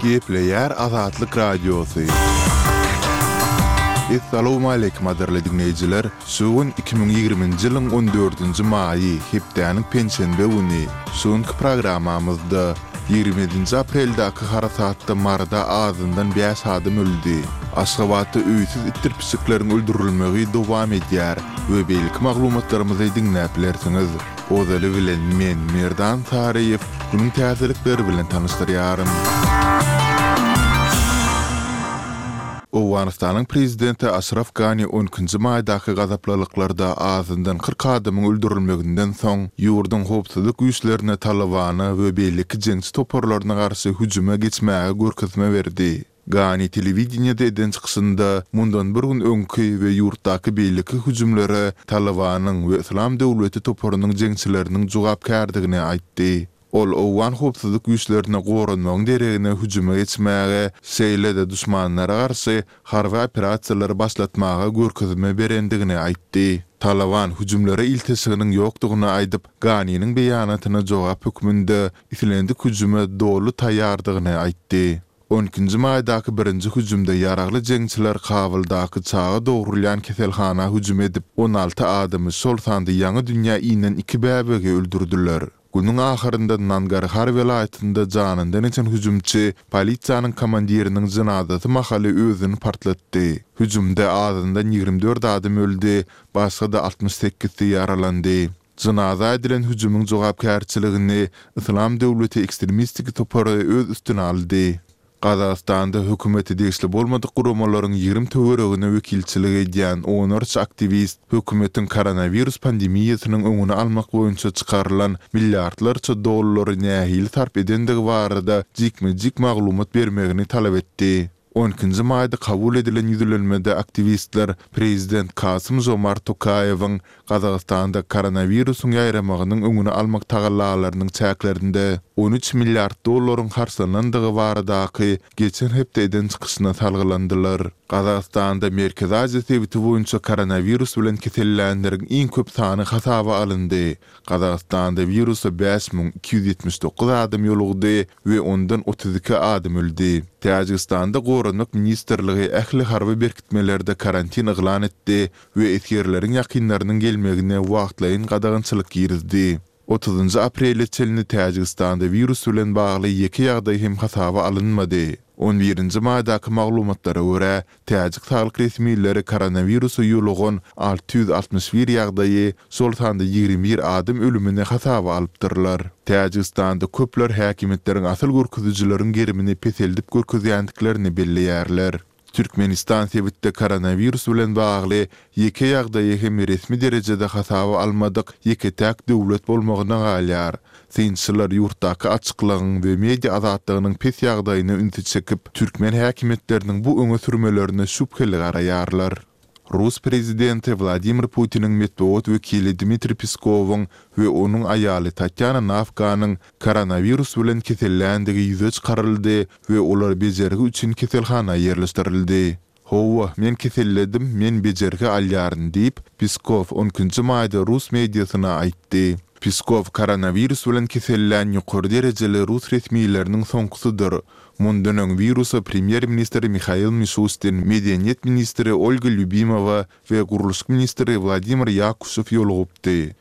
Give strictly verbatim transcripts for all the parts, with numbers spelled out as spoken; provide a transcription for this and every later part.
Gepleýär Azatlyk Radiosy. Essalawmaleýkim gadyrly diňleýjiler! Şu gün iki müň ýigriminji ýylyň on dördünji maýy, hepdäniň penşenbe güni. Şu günki programmamyzda ýigrimi ýedinji apreldäki harasatda Maryda azyndan bäş adam öldi. Aşgabatda öýsüz itdir pişikleriň öldürilmegi dowam edýär we beýleki maglumatlarymyzy diňläp bilersiňiz. Ozaly bilen men, Merdan Saryýew, günüň täzelikleri bilen tanyşdyrýaryn. Owganystanyň prezidenti Aşraf Gani on ikinji maýdaky gazaplylyklarda azyndan kyrk adamyň öldürilmeginden soň, ýurduň howpsuzlyk güýçlerine Talybana we beýleki jeňçi toparlaryna garşy hüjüme geçmäge görkezme berdi. Gani telewideniýede eden çykyşynda mundan bir gün öňki we ýurtdaky beýleki hüjümlere Talybanyň we Yslam döwleti toparynyň jeňçileriniň jogapkärdigini aýtdy. Ol owgan howpsuzlyk güýçlerine goranmagyň deregine hüjüme geçmäge, şeýle-de duşmanlara garşy harby operasiýalary başlatmaga görkezme berendigini aýtdy. Talyban hüjümlere ilteşiginiň ýokdugyny aýdyp, Ganiniň beýanatyna jogap hökmünde islendik hüjüme doly taýýardygyny aýtdy. On ikinji maýdaky birinji hüjümde ýaragly jeňçiler Kabuldaky çaga dogrulýan keselhana hüjüm edip, on alty adamy, şol sanda ýaňy dünýä inen iki bäbegi öldürdiler. Günüň ahyrynda Nangarhar welaýatynda janyndan geçen hüjümçi polisiýanyň komandiriniň jynazasy mahaly özüni partlatdy. Hüjümde azyndan ýigrimi dört adam öldi, başga-da altmyş sekizsi ýaralandy. Jynaza edilen hüjümiň jogapkärçiligini Yslam döwleti ekstremistik topary öz üstüne aldy. Gazagystanda hökümete degişli bolmadyk guramalaryň ýigrimi töweregine wekilçilik edýän onlarça aktiwist hökümetiň koronawirus pandemiýasynyň öňüni almak boýunça çykarylan milliardlarça dollary nähili sarp edendigi barada jikme-jik maglumat bermegini talap etdi. On ikinji maýda kabul edilen ýüzlenmede aktiwistler prezident Kasym-Žomart Tokaýewiň Gazagystanda koronawirusyň ýaýramagynyň öňüni almak tagallalarynyň çäklerinde on üç milliard dollaryň harçlanandygy baradaky geçen hepde eden çykyşyna salgylandylar. Gazagystanda Merkezi Aziýa sebiti boýunça koronawirus bilen kesellänleriň iň köp sany hasaba alyndy. Gazagystanda wirusa bäş müň iki ýüz ýetmiş dokuz adam ýolugdy we ondan otuz iki adam öldi. Täjigistanda Goranmak ministrligi ähli harby berkitmelerde karantin yglan etdi we esgerleriň ýakynlarynyň gelmegine wagtlaýyn gadagançylyk girizdi. Otuzynjy aprele çenli Täjigistanda wirus bilen bagly ýeke ýagdaý hem hasaba alynmady. On birinji maýdaky maglumatlara görä, täjik saglyk resmileri koronawirusa ýolugan alty ýüz altmyş bir ýagdaýy, şol sanda ýigrimi bir adam ölümini hasaba alypdyrlar. Täjigistanda köpler häkimiýetleriň asyl görkezijileriň gerimini peseldip görkezýändiklerini belleýärler. Türkmenistan sebitde koronawirus bilen bagly ýeke ýagdaýy hem resmi derejede hasaba almadyk ýeke-täk döwlet bolmagyna galýar. Synçylar ýurtdaky açyklygyň we media azatlygynyň pes ýagdaýyna ünsi çekip, türkmen häkimiýetleriniň bu öňe sürmelerine şübheli garaýarlar. Rus prezidenti Wladimir Putiniň metbugat wekili Dmitriý Peskowyň we onuň aýaly Tatýana Nawkanyň koronawirus bilen keselländigi ýüze çykaryldy we olar bejergi üçin keselhana ýerleşdirildi. Hawa, men keselledim, men bejergi alýaryn diýip, Peskow on ikinji maýda rus mediasyna aýtdy. Peskow koronawirus bilen kesellän ýokary derejeli rus resmileriniň soňkusydyr. Mundan öň wirusa premýer-ministr Mihail Mişustin, medeniýet ministri Olga Lýubimowa we gurluşyk ministri Wladimir Ýakuşew ýolugypdy.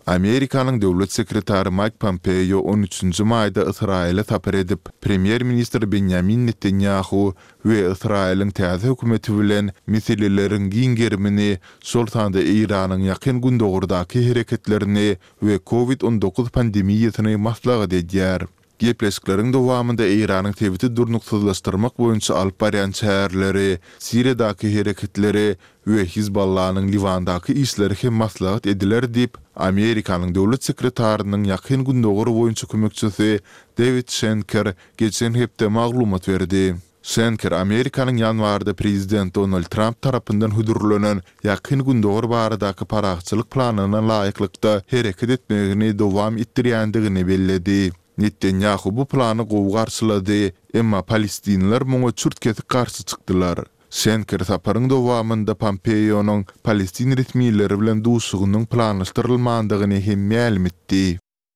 Amerikanyň döwlet sekretary Maýk Pompeo on üçünji maýda Ysraýyla sapar edip, premýer-ministr Benýamin Netanýahu we Ysraýylyň täze hökümeti bilen meseleleriň giň gerimini, şol sanda Eýranyň Ýakyn Gündogardaky hereketlerini we Covid on dokuz pandemiýasyny maslahat edýär. Gepleşikleriň dowamynda Eýranyň sebiti durnuksyzlaşdyrmak boýunça alyp barýan çäreleri, Siriýadaky hereketleri we Hizballanyň Liwandaky işleri hem maslahat ediler diýip, Amerikanyň döwlet sekretarynyň Ýakyn Gündogar boýunça kömekçisi Dewid Şenker geçen hepde maglumat berdi. Şenker Amerikanyň ýanwarda prezident Donald Tramp tarapyndan hödürlenen Ýakyn Gündogar baradaky parahatçylyk planyna laýyklykda hereket etmegini dowam etdirýändigini belledi. Netanýahu bu plany gowy garşylady, emma palestinler muňa çürt-kesik garşy çykdylar. Şenker saparyň dowamynda Pompeonyň palestin resmileri bilen duşuşygynyň planlaşdyrylmandygyny hem mälim etdi.